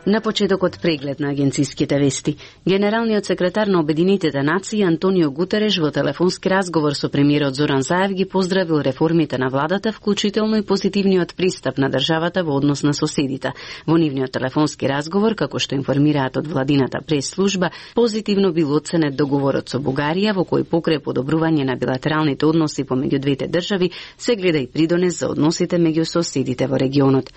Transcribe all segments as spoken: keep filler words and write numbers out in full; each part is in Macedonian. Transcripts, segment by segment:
На почетокот преглед на агенциските вести. Генералниот секретар на Обединетите нации Антонио Гутереш во телефонски разговор со премиерот Зоран Заев ги поздравил реформите на владата, вклучително и позитивниот пристап на државата во однос на соседите. Во нивниот телефонски разговор, како што информираат од владината прес-служба, позитивно бил оценет договорот со Бугарија, во кој покрај подобрување на билатералните односи помеѓу двете држави, се гледа и придонес за односите меѓу соседите во регионот.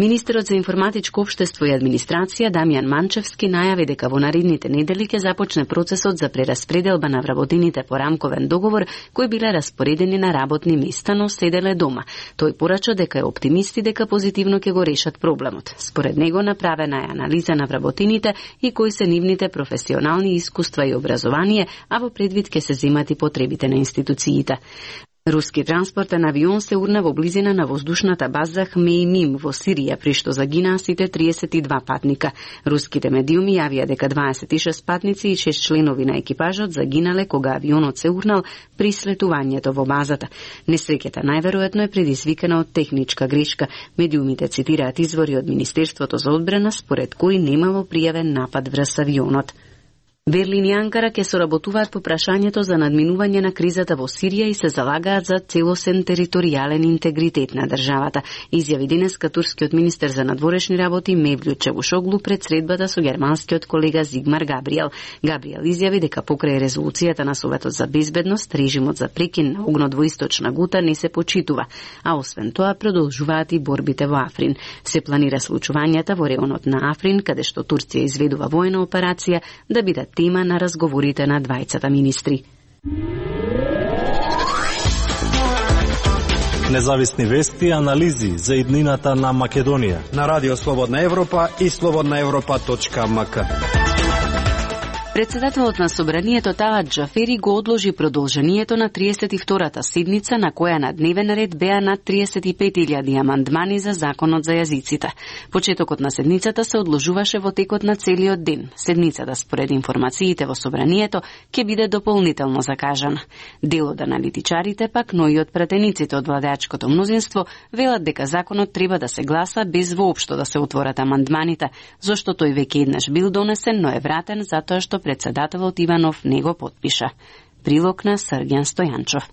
Министерот за информатичко општество и администрација Дамјан Манчевски најави дека во наредните недели ќе започне процесот за прераспределба на вработените по рамковен договор кои биле распоредени на работни места, но седеле дома. Тој порача дека е оптимисти дека позитивно ќе го решат проблемот. Според него направена е анализа на вработените и кои се нивните професионални искуства и образование, а во предвид ќе се земат и потребите на институциите. Руски транспортен авион се урна во близина на воздушната база Хмеймим во Сирија, при што загинаа сите триесет и два патника. Руските медиуми јавија дека дваесет и шест патници и шест членови на екипажот загинале кога авионот се урнал при слетувањето во базата. Несреќата најверојатно е предизвикана од техничка грешка. Медиумите цитираат извори од Министерството за одбрана, според кои немало пријавен напад врз авионот. Берлин и Анкара ќе соработуваат по прашањето за надминување на кризата во Сирија и се залагаат за целосен територијален интегритет на државата, изјави денеска турскиот министер за надворешни работи Мевлют Чавушоглу пред средбата со германскиот колега Зигмар Габриел. Габриел изјави дека покрај резолуцијата на Советот за безбедност, режимот за прекин на огнот во Источна Гута не се почитува, а освен тоа продолжуваат и борбите во Африн. Се планира случувањата во реонот на Африн, каде што Турција изведува воена операција, да бидат тема на разговорите на двајцата министри. Независни вести и анализи за иднината на Македонија на Радио Слободна Европа и слободна европа точка ем ка. Председателот на Собранието Талат Џафери го одложи продолжението на триесет и втората седница, на која на дневен ред беа над триесет и пет илјади амандмани за законот за јазиците. Почетокот на седницата се одложуваше во текот на целиот ден. Седницата, според информациите во Собранието, ќе биде дополнително закажана. Дел од аналитичарите пак, но и од пратениците од владеачкото мнозинство, велат дека законот треба да се гласа без воопшто да се отворат амандманите, зашто тој веќе еднаш бил донесен, но е вратен затоа што председателот Иванов не го потпиша. Прилог на Срѓан Стојанчов.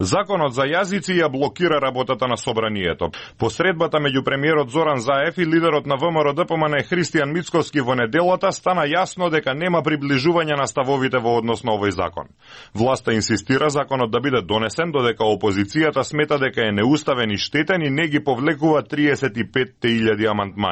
Законот за јазици ја блокира работата на Собранието. Посредбата меѓу премиерот Зоран Заев и лидерот на Вэ Ем Р Д П М Н Христијан Мицковски во неделата стана јасно дека нема приближување на ставовите во однос на овој закон. Власта инсистира законот да биде донесен, додека опозицијата смета дека е неуставен и штетен и не ги повлекува триесет и пет илјади амандмани.